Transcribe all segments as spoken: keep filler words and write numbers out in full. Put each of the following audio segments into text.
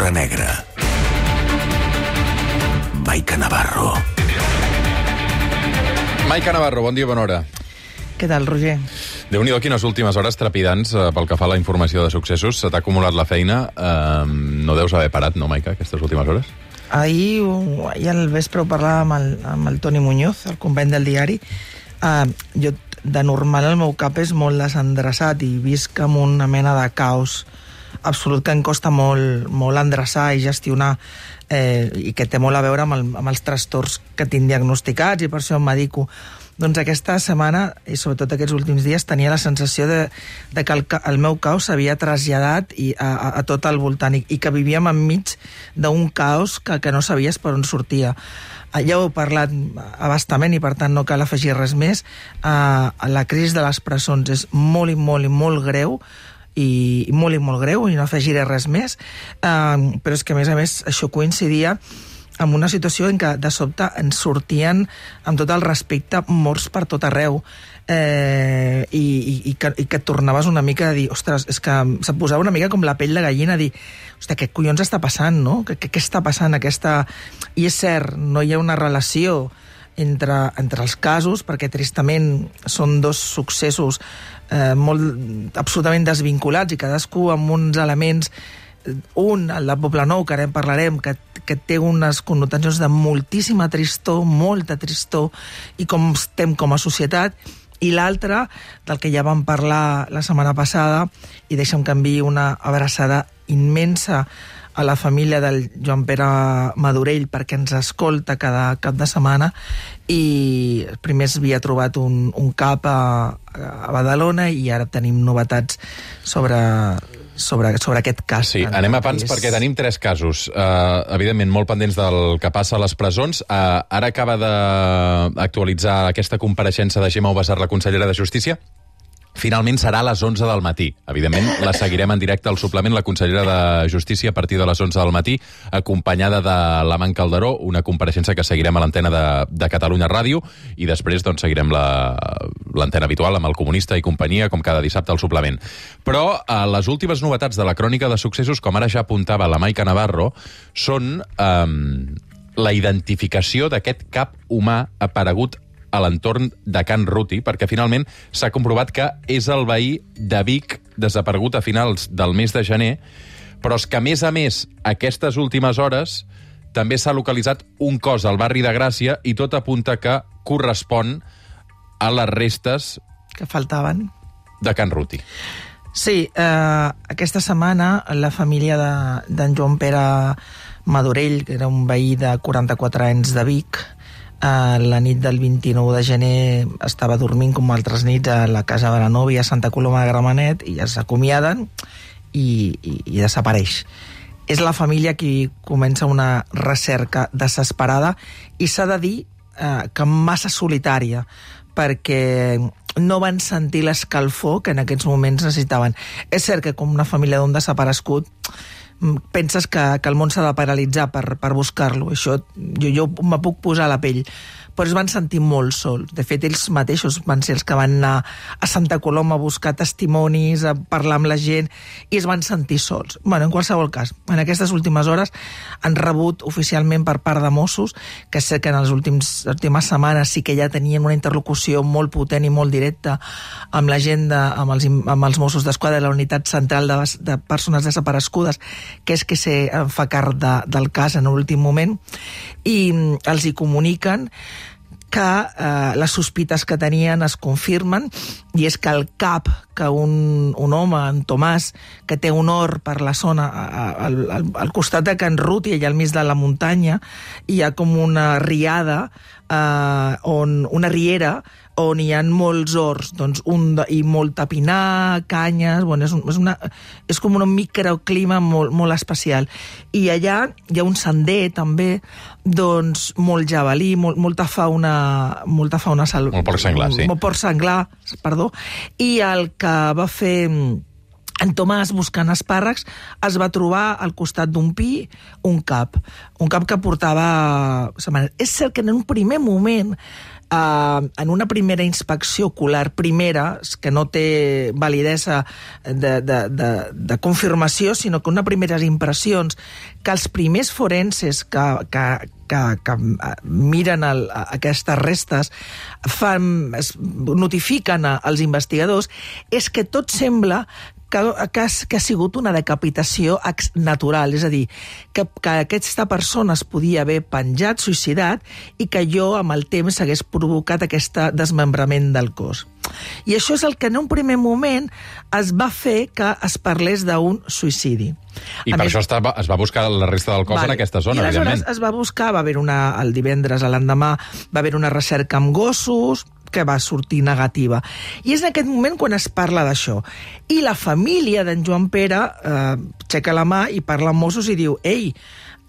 l'hora negra. Maica Navarro. Maica Navarro, bon dia, bona hora. Què tal, Roger? Déu-n'hi-do, quines últimes hores trepidants eh, pel que fa a la informació de successos. Se t'ha acumulat la feina. Eh, no deus haver parat, no, Maica, aquestes últimes hores? Ahir, ahir al vespre ho parlàvem amb el, amb el Toni Muñoz, el company del diari. Uh, jo, de normal, el meu cap és molt desendreçat i visc amb una mena de caos absolut que em costa molt, molt endreçar i gestionar, eh, i que té molt a veure amb, el, amb els trastorns que tinc diagnosticats, i per això em medico. Doncs aquesta setmana, i sobretot aquests últims dies, tenia la sensació de, de que el, el meu caos s'havia traslladat i a, a, a tot el voltant, i, i que vivíem enmig d'un caos que, que no sabies per on sortia. Ja ho he parlat abastament i per tant no cal afegir res més. Uh, la crisi de les presons és molt i molt i molt greu, i molt i molt greu, i no afegiré res més, uh, però és que a més a més això coincidia amb una situació en què de sobte ens sortien, amb tot el respecte, morts per tot arreu, eh, i, i, i, que, i que et tornaves una mica a dir, ostres, és que se't posava una mica com la pell de gallina, a dir, ostres, què collons està passant, no? Què, què, què està passant aquesta... I és cert, no hi ha una relació entre, entre els casos, perquè tristament són dos successos eh, molt, absolutament desvinculats, i cadascú amb uns elements, un, el de Poblenou, que ara en parlarem, que, que té unes connotacions de moltíssima tristor, molta tristor, i com estem com a societat, i l'altre, del que ja vam parlar la setmana passada, i deixa'm que enviï una abraçada immensa a la família del Joan Pere Madorell, perquè ens escolta cada cap de setmana, i primer s'havia trobat un, un cap a, a Badalona, i ara tenim novetats sobre... Sobre, sobre aquest cas. Sí, anem a pans perquè tenim tres casos, uh, evidentment molt pendents del que passa a les presons. Uh, ara acaba d'actualitzar aquesta compareixença de Gemma Ubasart, la consellera de Justícia. Finalment serà a les onze del matí. Evidentment, la seguirem en directe al suplement, la consellera de Justícia, a partir de les onze del matí, acompanyada de l'Amant Calderó, una compareixença que seguirem a l'antena de, de Catalunya Ràdio, i després doncs, seguirem l'antena habitual amb el Comunista i companyia, com cada dissabte al suplement. Però eh, les últimes novetats de la crònica de successos, com ara ja apuntava la Maica Navarro, són eh, la identificació d'aquest cap humà aparegut a l'entorn de Can Ruti, perquè finalment s'ha comprovat que és el veí de Vic desaparegut a finals del mes de gener, però és que, a més a més, aquestes últimes hores també s'ha localitzat un cos al barri de Gràcia, i tot apunta que correspon a les restes que faltaven de Can Ruti. Sí, eh, aquesta setmana la família d'en de, Joan Pere Madorell, que era un veí de quaranta-quatre anys de Vic, Uh, la nit del vint-i-nou de gener estava dormint com altres nits a la casa de la nòvia a Santa Coloma de Gramenet, i ja s'acomiaden i, i, i desapareix. És la família qui comença una recerca desesperada, i s'ha de dir uh, que massa solitària, perquè no van sentir l'escalfor que en aquests moments necessitaven. És cert que com una família d'un desaparegut penses que, que el món s'ha de paralitzar per, per buscar-lo. Això jo, jo me puc posar a la pell. Però es van sentir molt sols. De fet, ells mateixos van ser els que van anar a Santa Coloma a buscar testimonis, a parlar amb la gent, i es van sentir sols. Bueno, en qualsevol cas, en aquestes últimes hores han rebut oficialment per part de Mossos, que sé que en les últims, últimes setmanes sí que ja tenien una interlocució molt potent i molt directa amb la gent, de, amb, els, amb els Mossos d'Esquadra de la Unitat Central de, de Persones Desaparegudes, que és que se fa càrrec de, del cas en l'últim moment, i els hi comuniquen que eh, les sospites que tenien es confirmen, i és que el cap que un, un home, en Tomàs, que té un hort per la zona, al, al, al costat de Can Ruti, allà al mig de la muntanya, hi ha com una riada, eh, on, una riera, on hi ha molts horts, doncs un de, i molta pinar, canyes, bueno, és, un, és, una, és com un microclima molt, molt especial. I allà hi ha un sender, també, doncs molt jabalí, molt, molta fauna, molta fauna salvatge. Molt porc senglar, sí. Molt porc senglar, perdó. I el que va fer en Tomàs, buscant espàrrecs, es va trobar al costat d'un pi un cap. Un cap que portava setmanes. És cert que en un primer moment Uh, en una primera inspecció ocular primera, que no té validesa de, de, de, de confirmació, sinó que una primeres impressions, que els primers forenses que, que, que, que miren el, aquestes restes fan, es notifiquen als investigadors, és que tot sembla que, que, ha, que ha sigut una decapitació natural, és a dir, que, que aquesta persona es podia haver penjat, suïcidat, i que jo, amb el temps, hagués provocat aquest desmembrament del cos. I això és el que en un primer moment es va fer que es parlés d'un suïcidi. I a per més, això estava, es va buscar la resta del cos vale. en aquesta zona, I evidentment. es va buscar, va haver una, el divendres, l'endemà, va haver una recerca amb gossos, que va sortir negativa. I és en aquest moment quan es parla d'això. I la família d'en Joan Pere eh, aixeca la mà i parla amb Mossos i diu: ei,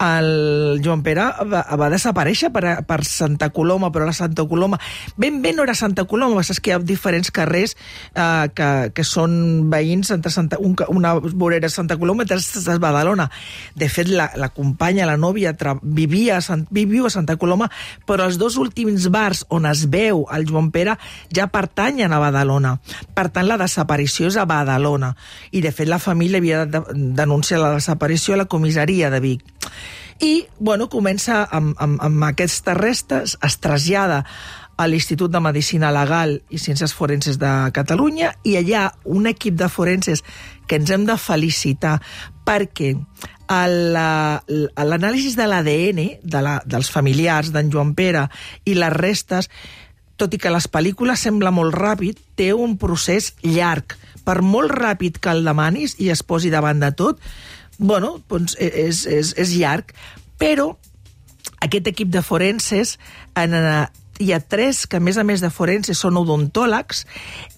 el Joan Pere va, va desaparèixer per, per Santa Coloma, però la Santa Coloma ben bé no era Santa Coloma, és que hi ha diferents carrers eh, que, que són veïns entre Santa, un, una vorera Santa Coloma i altres a Badalona. De fet, la, la companya, la nòvia, tra, vivia a Sant, viviu a Santa Coloma, però els dos últims bars on es veu el Joan Pere ja pertanyen a Badalona. Per tant, la desaparició és a Badalona. I, de fet, la família havia de denunciar la desaparició a la comissaria de Vic. I, bueno, comença amb, amb, amb aquestes restes, es trasllada a l'Institut de Medicina Legal i Ciències Forenses de Catalunya, i allà un equip de forenses que ens hem de felicitar perquè l'anàlisi de l'A D N de la, dels familiars d'en Joan Pere i les restes, tot i que les pel·lícules sembla molt ràpid, té un procés llarg. Per molt ràpid que el demanis i es posi davant de tot, bueno, doncs és, és, és llarg, però aquest equip de forenses, en, hi ha tres que, a més a més de forenses, són odontòlegs,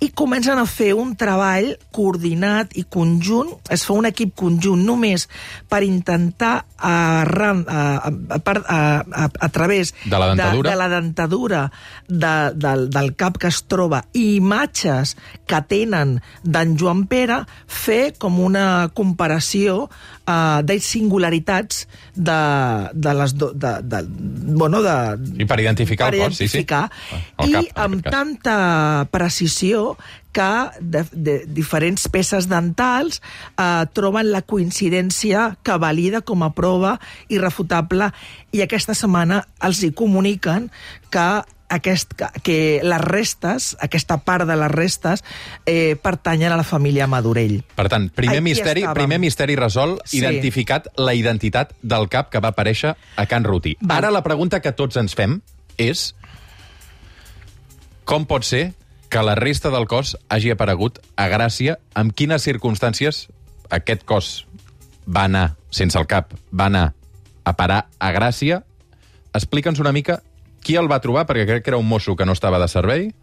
i comencen a fer un treball coordinat i conjunt, es fa un equip conjunt només per intentar, a, a, a, a, a, a través de la dentadura, de, de, la dentadura de, del, del cap que es troba, i imatges que tenen d'en Joan Pere, fer com una comparació uh, de singularitats de, de les... Do, de, de, bueno, de, I per identificar per el cos, sí, sí. Ah, I cap, amb tanta precisió que de, de diferents peces dentals eh, troben la coincidència que valida com a prova irrefutable, i aquesta setmana els hi comuniquen que Aquest, que les restes, aquesta part de les restes, eh, pertanyen a la família Madurell. Per tant, primer, Aquí misteri, estàvem. primer misteri resolt, Sí. identificat la identitat del cap que va aparèixer a Can Ruti. Val. Ara la pregunta que tots ens fem és: com pot ser que la resta del cos hagi aparegut a Gràcia? En quines circumstàncies aquest cos va anar, sense el cap, va anar a parar a Gràcia? Explica'ns una mica qui el va trobar, perquè crec que era un mosso que no estava de servei,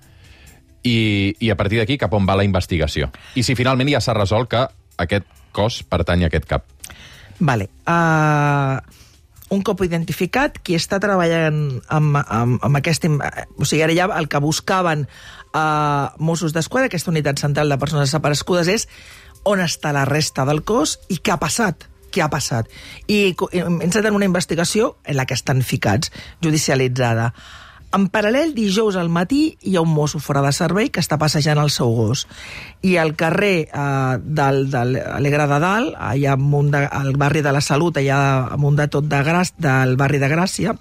i, i a partir d'aquí cap on va la investigació. I si finalment ja s'ha resolt que aquest cos pertany a aquest cap. Vale. Uh, un cop identificat, qui està treballant amb, amb, amb aquest... O sigui, ara ja el que buscaven uh, Mossos d'Esquadra, aquesta unitat central de persones desaparegudes, és on està la resta del cos i què ha passat. Què ha passat? I ens ha una investigació en la que estan ficats, judicialitzada. En paral·lel, dijous al matí, hi ha un mosso fora de servei que està passejant el seu gos. I al carrer eh, del, de l'Alegre de Dalt, allà amunt de, al barri de la Salut, allà amunt de tot de Gràcia, del barri de Gràcia,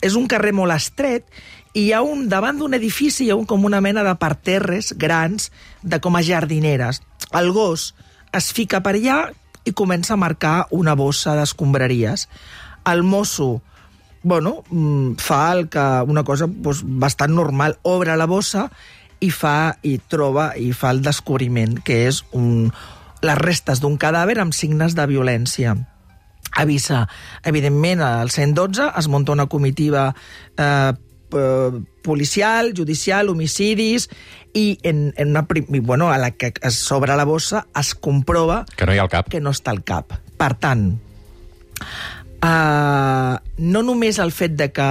és un carrer molt estret, i hi ha un, davant d'un edifici hi ha un, com una mena de parterres grans, de com a jardineres. El gos es fica per allà i comença a marcar una bossa d'escombraries. El mosso, bueno, fa el que, una cosa doncs, bastant normal, obre la bossa i fa i troba i fa el descobriment, que és un, les restes d'un cadàver amb signes de violència. Avisa, evidentment, al cent dotze es munta una comitiva eh, policial, judicial, homicidis, i en, en una prim... bueno, a la que es s'obre la bossa es comprova que no hi ha el cap. Que no està el cap. Per tant, uh, no només el fet de que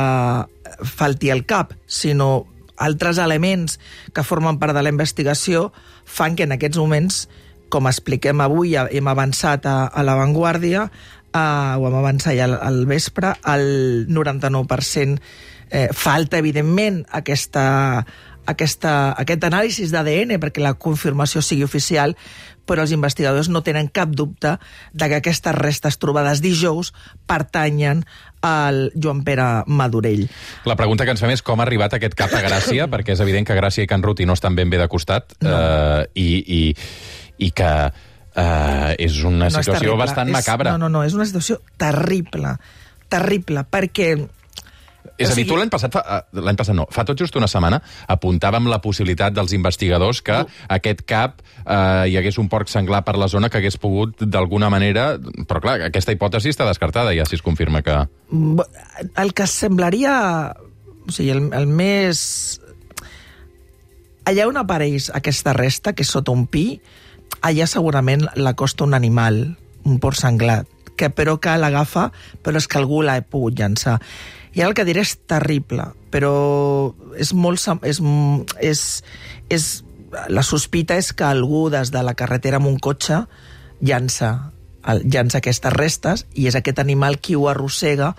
falti el cap, sinó altres elements que formen part de la investigació fan que en aquests moments, com expliquem avui, hem avançat a, a l'avantguàrdia, uh, ho hem avançat ja al, al vespre, el noranta-nou per cent Eh, falta, evidentment, aquesta, aquesta, aquest anàlisi d'A D N perquè la confirmació sigui oficial, però els investigadors no tenen cap dubte de que aquestes restes trobades dijous pertanyen al Joan Pere Madorell. La pregunta que ens fem és com ha arribat aquest cap a Gràcia, perquè és evident que Gràcia i Can Ruti no estan ben bé de costat, no. eh, i, i, i que eh, és una no situació és bastant és, macabra. No, no, no, és una situació terrible, terrible, perquè... És a dir, o sigui... tu l'any passat, fa, l'any passat no, fa tot just una setmana, apuntàvem la possibilitat dels investigadors que uh. aquest cap eh, hi hagués un porc senglar per la zona que hagués pogut d'alguna manera... Però clar, aquesta hipòtesi està descartada ja si es confirma que... El que semblaria... O sigui, el, el més... Allà on apareix aquesta resta, que és sota un pi, allà segurament l'acosta un animal, un porc senglar, que però que l'agafa, però és que algú l'ha pogut llançar. I el que diré és terrible, però és molt... És, és, és, la sospita és que algú des de la carretera amb un cotxe llança, llança aquestes restes i és aquest animal qui ho arrossega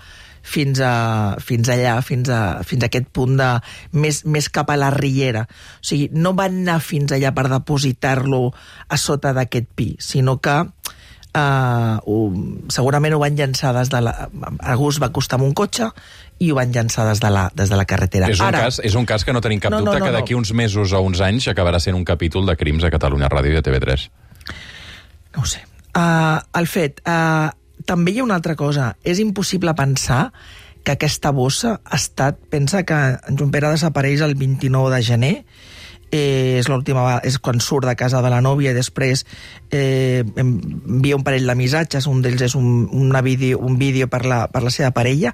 fins, a, fins allà, fins a, fins a aquest punt de, més, més cap a la riera. O sigui, no van anar fins allà per depositar-lo a sota d'aquest pi, sinó que Uh, ho, segurament ho van llançar des de la... Algú es va acostar amb un cotxe i ho van llançar des de la, des de la carretera. És un, Ara, cas, és un cas que no tenim cap no, dubte no, no, que d'aquí no. uns mesos o uns anys acabarà sent un capítol de crims a Catalunya Ràdio i a T V tres. No ho sé. Uh, el fet... Uh, també hi ha una altra cosa. És impossible pensar que aquesta bossa ha estat... Pensa que en Joan Pere desapareix el vint-i-nou de gener, Eh, és l'última, és quan surt de casa de la nòvia i després eh, envia un parell de missatges, un d'ells és un, una vídeo, un vídeo per la, per la seva parella,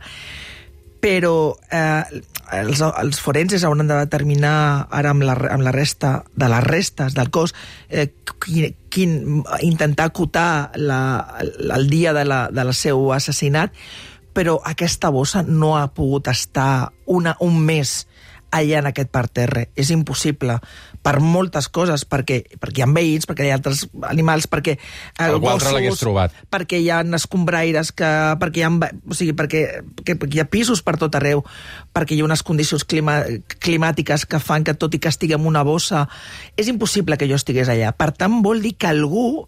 però eh, els, els forenses hauran de determinar ara amb la, amb la resta de les restes del cos eh, quin, quin, intentar acotar la, el dia de la, de la seu assassinat, però aquesta bossa no ha pogut estar una, un mes allà en aquest parterre. És impossible per moltes coses, perquè, perquè hi ha veïns, perquè hi ha altres animals, perquè eh, algú altre l'hagués trobat, perquè hi ha escombraires, que, perquè, hi ha, o sigui, perquè, que, perquè hi ha pisos per tot arreu, perquè hi ha unes condicions clima, climàtiques que fan que tot i que estigui en una bossa, és impossible que jo estigués allà. Per tant, vol dir que algú,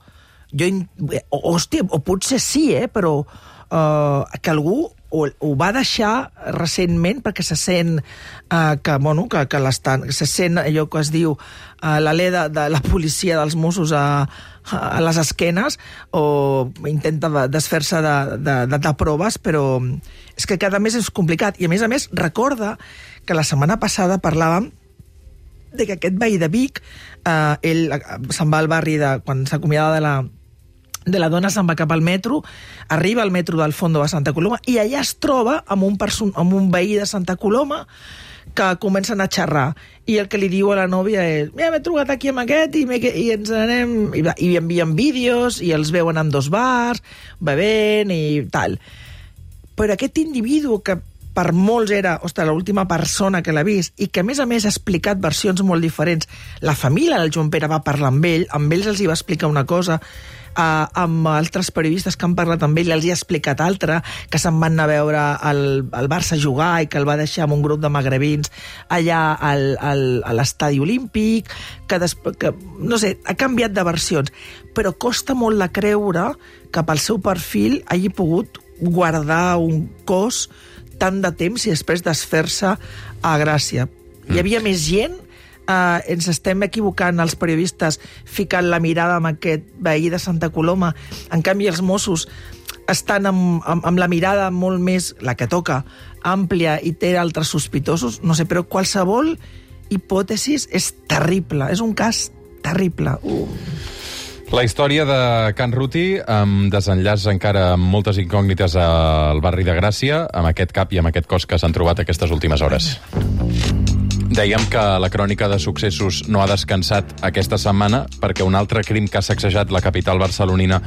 jo, o, hòstia, o potser sí, eh, però uh, que algú o ho va deixar recentment perquè se sent uh, que, bueno, que, que l'estan, se sent allò que es diu uh, l'alè de, de la policia dels Mossos a, a les esquenes, o intenta desfer-se de, de, de, de proves, però és que cada mes és complicat. I a més a més recorda que la setmana passada parlàvem de que aquest veí de Vic, uh, ell se'n va al barri de, quan s'acomiada de la de la dona, se'n va cap al metro, arriba al metro del Fondo a Santa Coloma i allà es troba amb un, amb un veí de Santa Coloma que comencen a xerrar i el que li diu a la nòvia és mira, m'he trobat aquí amb aquest i, i ens anem i, i envien vídeos i els veuen en dos bars bevent i tal, però aquest individu que per molts era, ostres, l'última persona que l'ha vist i que a més a més ha explicat versions molt diferents, la família del Joan Pere va parlar amb ell, amb ells els hi va explicar una cosa, Uh, amb altres periodistes que han parlat amb ell els hi ha explicat altra, que se'n van anar a veure el, el Barça jugar i que el va deixar amb un grup de magrebins allà al, al, a l'estadi olímpic, que, després, que no sé, ha canviat de versions, però costa molt de creure que pel seu perfil hagi pogut guardar un cos tant de temps i després desfer-se a Gràcia. Hi havia més gent. Uh, ens estem equivocant els periodistes ficant la mirada amb aquest veí de Santa Coloma, en canvi els Mossos estan amb, amb, amb la mirada molt més, la que toca, àmplia i té altres sospitosos, no sé, però qualsevol hipòtesis és terrible, és un cas terrible. Uh. La història de Can Ruti, amb desenllaç encara amb moltes incògnites al barri de Gràcia, amb aquest cap i amb aquest cos que s'han trobat aquestes últimes hores. Dèiem que la crònica de successos no ha descansat aquesta setmana perquè un altre crim que ha sacsejat la capital barcelonina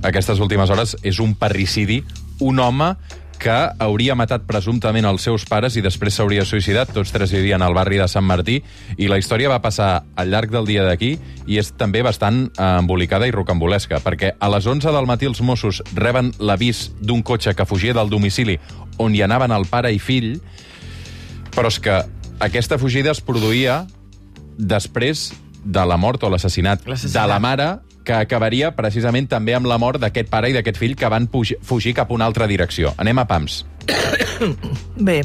aquestes últimes hores és un parricidi. Un home que hauria matat presumptament els seus pares i després s'hauria suïcidat. Tots tres vivien al barri de Sant Martí i la història va passar al llarg del dia d'aquí i és també bastant eh, embolicada i rocambolesca perquè a les onze del matí els Mossos reben l'avís d'un cotxe que fugia del domicili on hi anaven el pare i fill Però és que aquesta fugida es produïa després de la mort o l'assassinat de la mare, que acabaria precisament també amb la mort d'aquest pare i d'aquest fill que van fugir cap a una altra direcció. Anem a pams. Bé,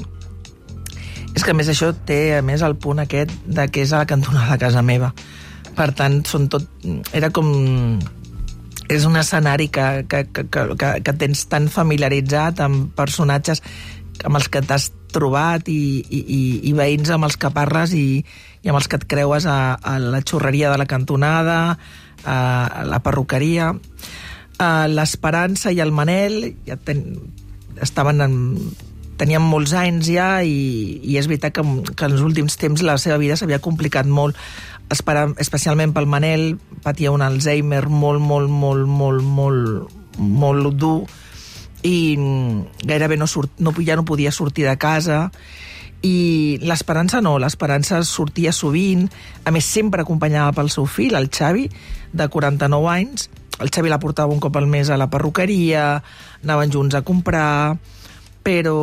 és que a més això té a més el punt aquest de que és a la cantonada de casa meva. Per tant, són tot... Era com... És un escenari que, que, que, que, que tens tan familiaritzat amb personatges amb els que t'has trobat i, i, i veïns amb els que parles i, i amb els que et creues a, a la xurreria de la cantonada, a la perruqueria. L'Esperança i el Manel ja ten, estaven en, tenien molts anys ja i, i és veritat que, que en els últims temps la seva vida s'havia complicat molt, especialment pel Manel. Patia un Alzheimer molt, molt, molt, molt, molt, molt dur i gairebé no, surt, no, ja no podia sortir de casa. I l'Esperança no, l'Esperança sortia sovint, a més sempre acompanyada pel seu fill, el Xavi, de quaranta-nou anys. El Xavi la portava un cop al mes a la perruqueria, anaven junts a comprar, però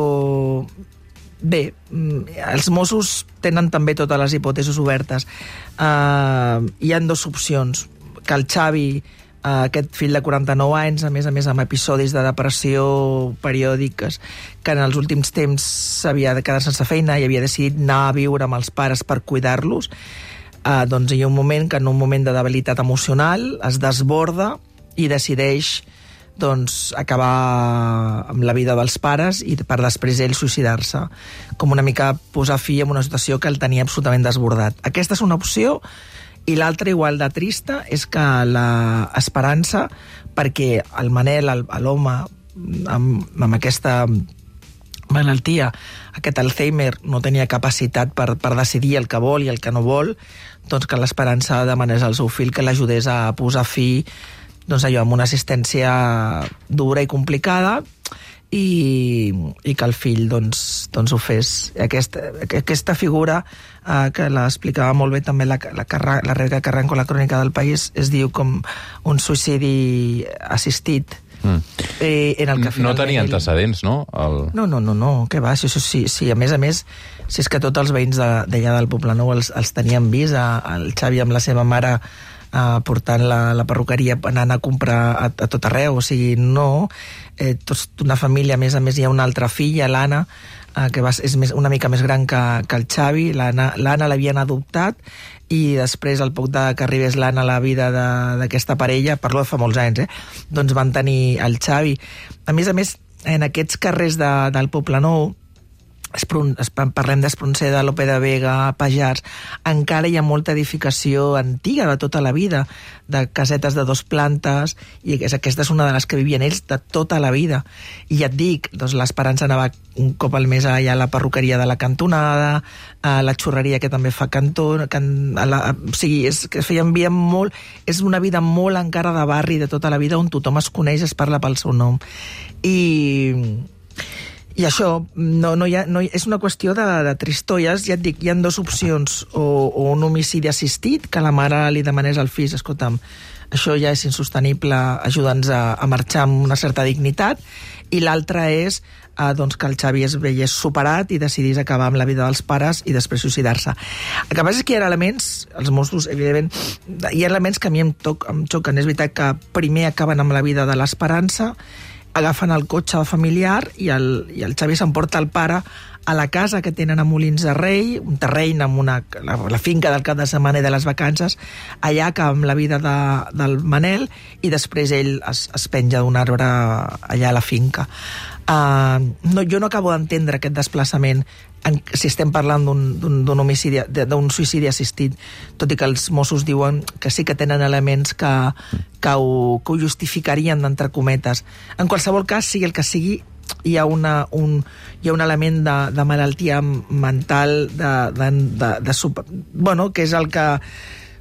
bé, els Mossos tenen també totes les hipòtesis obertes. Uh, hi ha dues opcions, que el Xavi, Uh, aquest fill de quaranta-nou anys, a més a més amb episodis de depressió periòdiques, que en els últims temps s'havia de quedar sense feina i havia decidit anar a viure amb els pares per cuidar-los, uh, doncs hi ha un moment que en un moment de debilitat emocional es desborda i decideix doncs, acabar amb la vida dels pares i per després ell suïcidar-se, com una mica posar fi a una situació que el tenia absolutament desbordat. Aquesta és una opció. I l'altra, igual de trista, és que l'Esperança, perquè el Manel, l'home amb, amb aquesta malaltia, aquest Alzheimer, no tenia capacitat per, per decidir el que vol i el que no vol, doncs que l'Esperança demanés al seu fill que l'ajudés a posar fi, doncs allò, amb una assistència dura i complicada, i, i que el fill doncs, doncs ho fes. Aquesta, aquesta figura eh, que l'explicava molt bé també la, la, la Rebeca Carranco, la crònica del País, es diu com un suïcidi assistit. Mm. Eh, en el que no tenia ell... antecedents, no? El... No, no, no, no, què va, sí, sí, sí, a més a més, si és que tots els veïns d'allà de, del Poblenou els, els tenien vist, el Xavi amb la seva mare Uh, portant la, la perruqueria, anant a comprar a, a tot arreu, o sigui, no, eh, tots, una família, a més a més hi ha una altra filla, l'Anna, uh, que va, és més, una mica més gran que, que el Xavi. L'Anna l'havien adoptat i després, al poc de que arribés l'Anna a la vida d'aquesta parella, parlo de fa molts anys, eh, doncs van tenir el Xavi. A més a més, en aquests carrers de, del Poblenou, parlem d'Espronceda, Lope de Vega, Pajars, encara hi ha molta edificació antiga de tota la vida, de casetes de dos plantes, i aquesta és una de les que vivien ells de tota la vida. I ja et dic, doncs l'Esperança anava un cop al mes allà a la perruqueria de la cantonada, a la xurreria que també fa cantó, can, a la, o sigui, és que feien vida molt, és una vida molt encara de barri de tota la vida, on tothom es coneix, es parla pel seu nom. I... I això, no, no hi ha, no hi, és una qüestió de, de tristolles. Ja et dic, hi ha dues opcions, o, o un homicidi assistit, que la mare li demanés al fill, escolta'm, això ja és insostenible, ajuda'ns a, a marxar amb una certa dignitat, i l'altra és eh, doncs que el Xavi es veiés superat i decidís acabar amb la vida dels pares i després suïcidar-se. El que passa és que hi ha elements, els Mossos, evidentment, hi ha elements que a mi em, toc, em xoquen. És veritat que primer acaben amb la vida de l'Esperança, agafen el cotxe familiar i el, i el Xavi s'emporta el pare a la casa que tenen a Molins de Rei, un terreny amb una, la, la finca del cap de setmana i de les vacances, allà que amb la vida de, del Manel, i després ell es, es penja d'un arbre allà a la finca. Uh, no, jo no acabo d'entendre aquest desplaçament en, si estem parlant d'un homicidi, d'un suïcidi assistit, tot i que els Mossos diuen que sí que tenen elements que, que, ho, que ho justificarien, d'entre cometes. En qualsevol cas, sigui el que sigui, hi ha, una, un, hi ha un element de, de malaltia mental, de, de, de, de super, bueno, que és el que,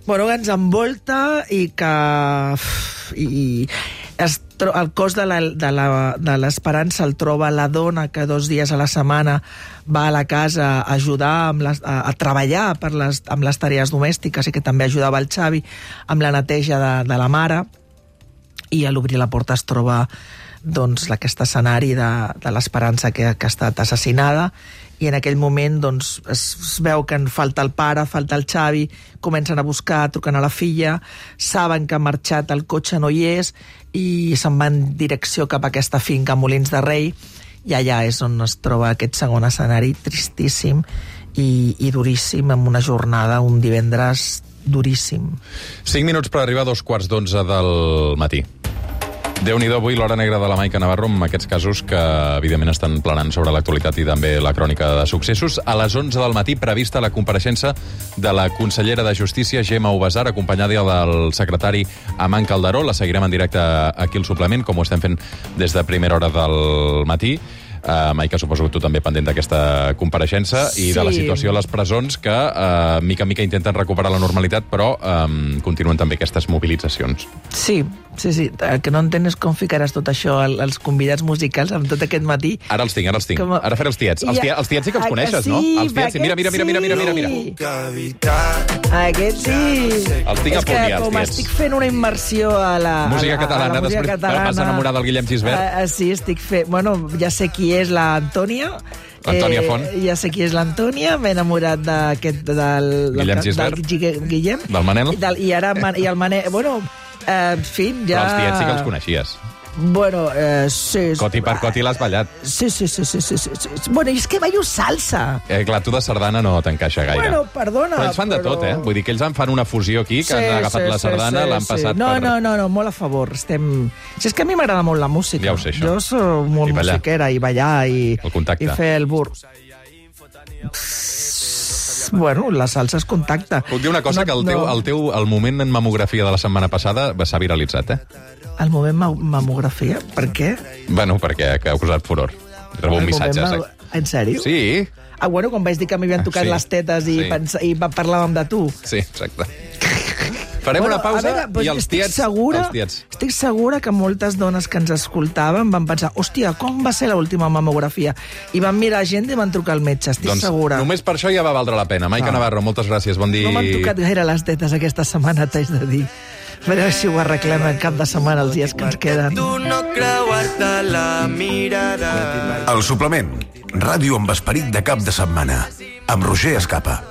bueno, ens envolta i que... I, es, el cos de l'Esperança el troba la dona que dos dies a la setmana va a la casa a ajudar amb les, a, a treballar per les, amb les tarees domèstiques, i que també ajudava el Xavi amb la neteja de, de la mare, i a l'obrir la porta es troba doncs, aquest escenari de, de l'Esperança que, que ha estat assassinada, i en aquell moment doncs, es, es veu que en falta el pare, falta el Xavi, comencen a buscar, truquen a la filla, saben que ha marxat, el cotxe no hi és, i se'n van en direcció cap a aquesta finca Molins de Rei, i allà és on es troba aquest segon escenari tristíssim i, i duríssim, amb una jornada, un divendres duríssim. Cinc minuts per arribar a dos quarts d'onze del matí. Déu-n'hi-do avui l'hora negra de la Maica Navarro amb aquests casos que evidentment estan planant sobre l'actualitat i també la crònica de successos. A les onze del matí prevista la compareixença de la consellera de Justícia, Gemma Ubasart, acompanyada del secretari Amant Calderó. La seguirem en directe aquí al suplement, com ho estem fent des de primera hora del matí. Uh, Maica, suposo que tu també pendent d'aquesta compareixença sí. i de la situació a les presons que uh, mica en mica intenten recuperar la normalitat, però um, continuen també aquestes mobilitzacions. Sí, sí, sí. El que no entenc és com ficaràs tot això als convidats musicals amb tot aquest matí. Ara els tinc, ara els tinc. Com... Ara faré els tiets. Els, tia, els tiets sí que els coneixes, sí, no? Els tiets, sí. Mira, mira, mira, mira, mira, mira, mira. Aquest sí. Els tinc a punt ja, els com tiets. estic fent una immersió a la, música a la, catalana, a la música després catalana, vas enamorar del Guillem Gisbert. Uh, sí, estic fent... Bueno, ja sé qui és l'Antònia. Antònia Font. Eh, ja sé qui és l'Antònia, m'he enamorat d'aquest... Del, Guillem del, Gisbert. Del Guillem. Del Manel. I, del, i ara i el Manel... Bueno, eh, en fi, ja... Però els tiets sí que els coneixies. Bueno, eh, sí... Coti per coti l'has ballat. Sí, sí, sí, sí, sí, sí, sí. Bueno, és que ballo salsa. Eh, clar, tu de sardana no t'encaixa gaire. Bueno, perdona, però ells fan de però... tot, eh? Vull dir que ells en fan una fusió aquí, que sí, han agafat sí, la sardana, sí, l'han sí. passat no, per... No, no, no, molt a favor. Estem... Si és que a mi m'agrada molt la música. Ja ho sé, això. Jo soc molt I ballar. musiquera, i ballar, i, el contacte. i fer el bur... Bueno, la salsa és contacte. Puc dir una cosa, no, que el teu, no. el teu el moment en mamografia de la setmana passada s'ha viralitzat, eh? El moment ma mamografia? Per què? Bueno, perquè ha causat furor. Rebo un missatge. Ma... En sèrio? Sí. Ah, bueno, quan vaig dir que m'havien tocat sí, les tetes i, sí. pensa... i parlàvem de tu. Sí, exacte. Farem bueno, una pausa veure, doncs i els estic tiets... Segura, els tiets. Estic segura que moltes dones que ens escoltaven van pensar, hòstia, com va ser l'última mamografia? I van mirar gent i van trucar al metge, estic doncs, segura. Només per això ja va valdre la pena. Maica ah. Navarro, moltes gràcies, bon dia. No m'han tocat gaire les tetes aquesta setmana, t'haig de dir. A veure si ho arreglem el cap de setmana, els dies que ens queden. Tu no creuar-te la mirada. El suplement. Ràdio amb esperit de cap de setmana. Amb Roger Escapa.